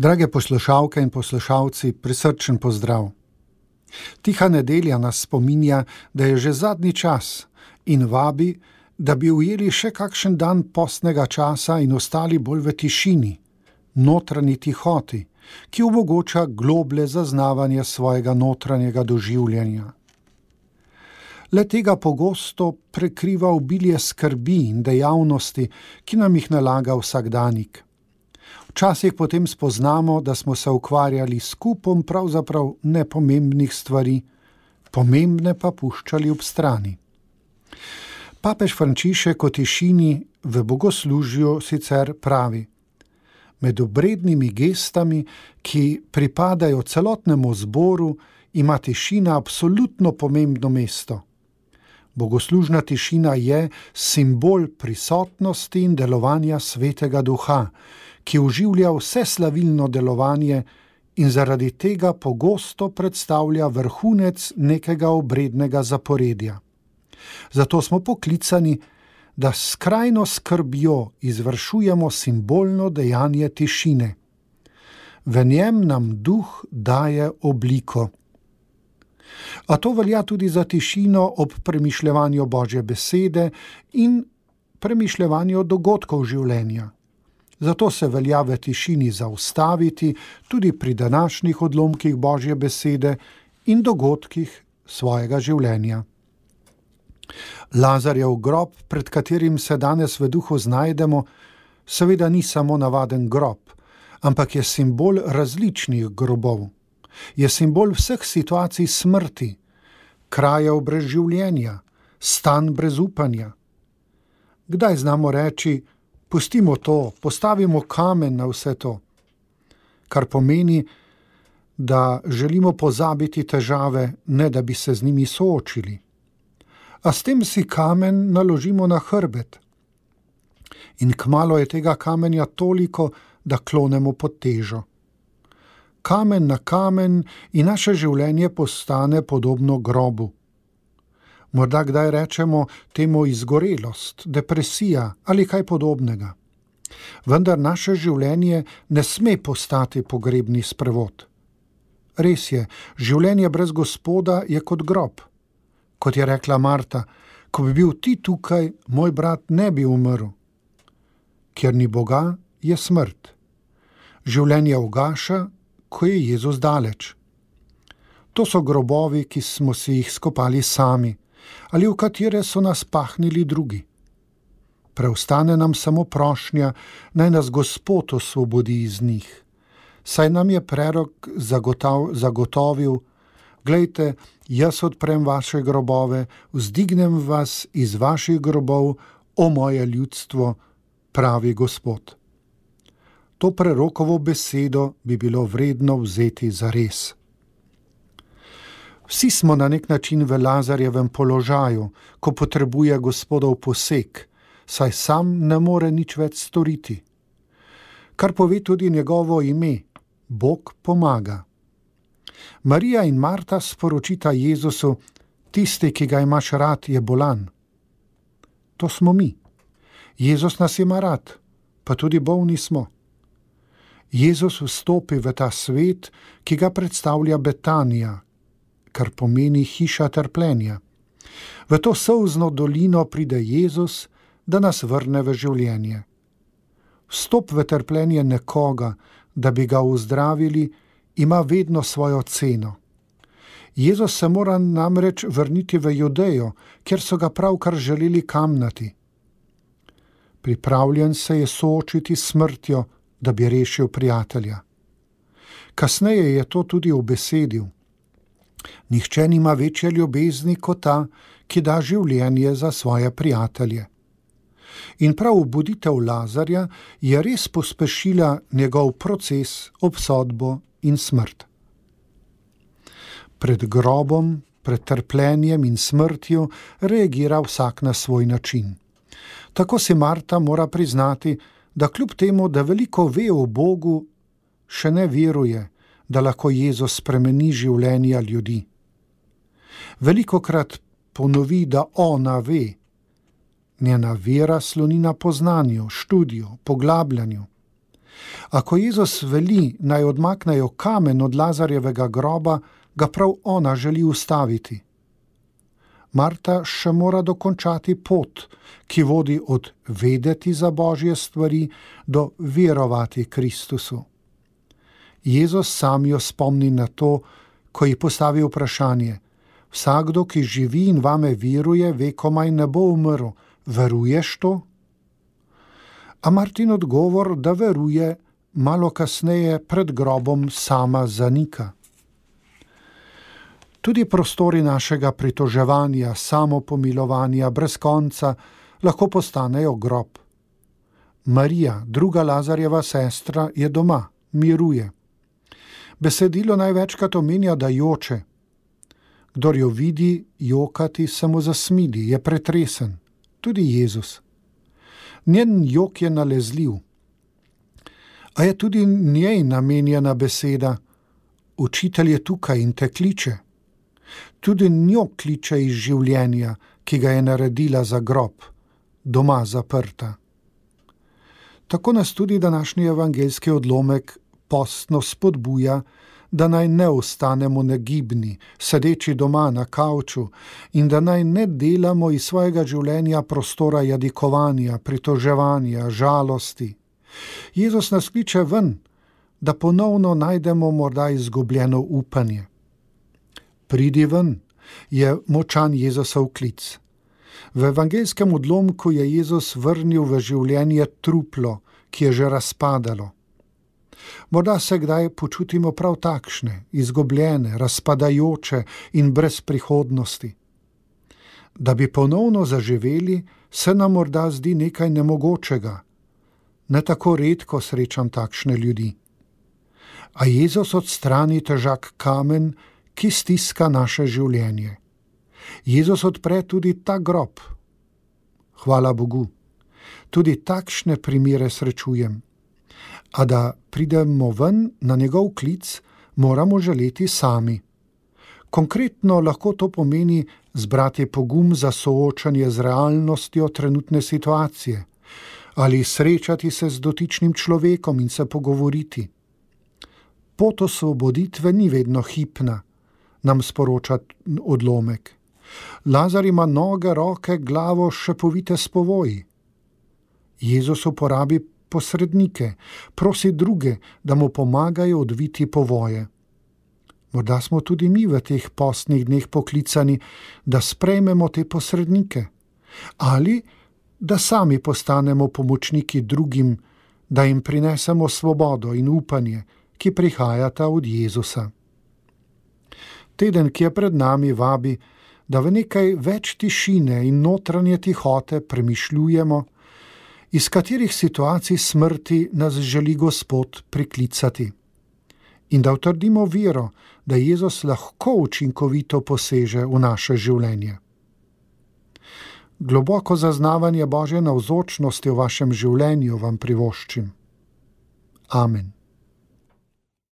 Drage poslušalke in poslušalci, prisrčen pozdrav. Tiha nedelja nas spominja, da je že zadnji čas in vabi, da bi ujeli še kakšen dan postnega časa in ostali bolj v tišini, notranji tihoti, ki omogoča globlje zaznavanje svojega notranjega doživljanja. Le tega pogosto prekriva obilje skrbi in dejavnosti, ki nam jih nalaga vsakdanik. Včasih potem spoznamo, da smo se ukvarjali s kupom pravzaprav nepomembnih stvari, pomembne pa puščali ob strani. Papež Frančišek o tišini v bogoslužju sicer pravi: med obrednimi gestami, ki pripadajo celotnemu zboru, ima tišina absolutno pomembno mesto. Bogoslužna tišina je simbol prisotnosti in delovanja Svetega Duha, ki oživlja vse slavilno delovanje in zaradi tega pogosto predstavlja vrhunec nekega obrednega zaporedja. Zato smo poklicani, da s skrajno skrbjo izvršujemo simbolno dejanje tišine. V njem nam Duh daje obliko. A to velja tudi za tišino ob premišljevanju Božje besede in premišljevanju dogodkov življenja. Zato se velja v tišini zaustaviti tudi pri današnjih odlomkih Božje besede in dogodkih svojega življenja. Lazarjev grob, pred katerim se danes v duhu znajdemo, seveda ni samo navaden grob, ampak je simbol različnih grobov. Je simbol vseh situacij smrti, krajev brez življenja, stanj brez upanja. Kdaj znamo reči: pustimo to, postavimo kamen na vse to, kar pomeni, da želimo pozabiti težave, ne da bi se z njimi soočili. A s tem si kamen naložimo na hrbet. In kmalu je tega kamenja toliko, da klonemo pod težo. Kamen na kamen in naše življenje postane podobno grobu. Morda kdaj rečemo temu izgorelost, depresija ali kaj podobnega. Vendar naše življenje ne sme postati pogrebni sprevod. Res je, življenje brez Gospoda je kot grob. Kot je rekla Marta: ko bi bil ti tukaj, moj brat ne bi umrl. Kjer ni Boga, je smrt. Življenje ugaša, ko je Jezus daleč. To so grobovi, ki smo si jih skopali sami, ali v katere so nas pahnili drugi. Preostane nam samo prošnja, naj nas Gospod osvobodi iz njih. Saj nam je prerok zagotovil: glejte, jaz odprem vaše grobove, vzdignem vas iz vaših grobov, o moje ljudstvo, pravi Gospod. To prerokovo besedo bi bilo vredno vzeti zares. Vsi smo na nek način v Lazarjevem položaju, ko potrebuje Gospodov poseg, saj sam ne more nič več storiti. Kar pove tudi njegovo ime: Bog pomaga. Marija in Marta sporočita Jezusu: tisti, ki ga imaš rad, je bolan. To smo mi. Jezus nas ima rad, pa tudi bolni smo. Jezus vstopi v ta svet, ki ga predstavlja Betanija, kar pomeni hiša trpljenja. V to solzno dolino pride Jezus, da nas vrne v življenje. Vstop v trpljenje nekoga, da bi ga ozdravili, ima vedno svojo ceno. Jezus se mora namreč vrniti v Judejo, kjer so ga pravkar želeli kamnati. Pripravljen se je soočiti s smrtjo, da bi rešil prijatelja. Kasneje je to tudi ubesedil: nihče nima večje ljubezni kot ta, ki da življenje za svoje prijatelje. In prav obuditev Lazarja je res pospešila njegov proces, obsodbo in smrt. Pred grobom, pred trpljenjem in smrtjo reagira vsak na svoj način. Tako si Marta mora priznati, da kljub temu, da veliko ve o Bogu, še ne veruje, da lahko Jezus spremeni življenja ljudi. Velikokrat ponovi, da ona ve. Njena vera sloni na poznanju, študiju, poglabljanju. Ako Jezus veli, naj odmaknejo kamen od Lazarjevega groba, ga prav ona želi ustaviti. Marta še mora dokončati pot, ki vodi od vedeti za Božje stvari do verovati Kristusu. Jezus sam jo spomni na to, ko ji postavi vprašanje: vsakdo, ki živi in vame veruje, ve, komaj ne bo umrl. Veruješ to? A Martin odgovor, da veruje, malo kasneje pred grobom sama zanika. Tudi prostori našega pritoževanja, samopomilovanja brez konca lahko postanejo grob. Marija, druga Lazarjeva sestra, je doma, miruje. Besedilo največkrat omenja, da joče. Kdor jo vidi jokati, se mu zasmili, je pretresen. Tudi Jezus. Njen jok je nalezljiv. A je tudi njej namenjena beseda: učitelj je tukaj in te kliče. Tudi njo kliče iz življenja, ki ga je naredila za grob, doma zaprta. Tako nas tudi današnji evangeljski odlomek postno spodbuja, da naj ne ostanemo negibni, sedeči doma na kavču, in da naj ne delamo iz svojega življenja prostora jadikovanja, pritoževanja, žalosti. Jezus nas kliče ven, da ponovno najdemo morda izgubljeno upanje. Pridi ven, je močan Jezusov klic. V evangeljskem odlomku je Jezus vrnil v življenje truplo, ki je že razpadalo. Morda se kdaj počutimo prav takšne, izgubljene, razpadajoče in brez prihodnosti. Da bi ponovno zaživeli, se nam morda zdi nekaj nemogočega. Ne tako redko srečam takšne ljudi. A Jezus odstrani težak kamen, ki stiska naše življenje. Jezus odpre tudi ta grob. Hvala Bogu. Tudi takšne primere srečujem. A da pridemo ven na njegov klic, moramo želeti sami. Konkretno lahko to pomeni zbrati pogum za soočanje z realnostjo trenutne situacije ali srečati se z dotičnim človekom in se pogovoriti. Pot osvoboditve ni vedno hipna, nam sporoča odlomek. Lazar ima noge, roke, glavo še povite s povoji. Jezus uporabi posrednike, prosi druge, da mu pomagajo odviti povoje. Morda smo tudi mi v teh postnih dneh poklicani, da sprejmemo te posrednike, ali da sami postanemo pomočniki drugim, da jim prinesemo svobodo in upanje, ki prihajata od Jezusa. Teden, ki je pred nami, vabi, da v nekaj več tišine in notranje tihote premišljujemo, iz katerih situacij smrti nas želi Gospod priklicati, in da utrdimo vero, da Jezus lahko učinkovito poseže v naše življenje. Globoko zaznavanje Božje navzočnosti v vašem življenju vam privoščim. Amen.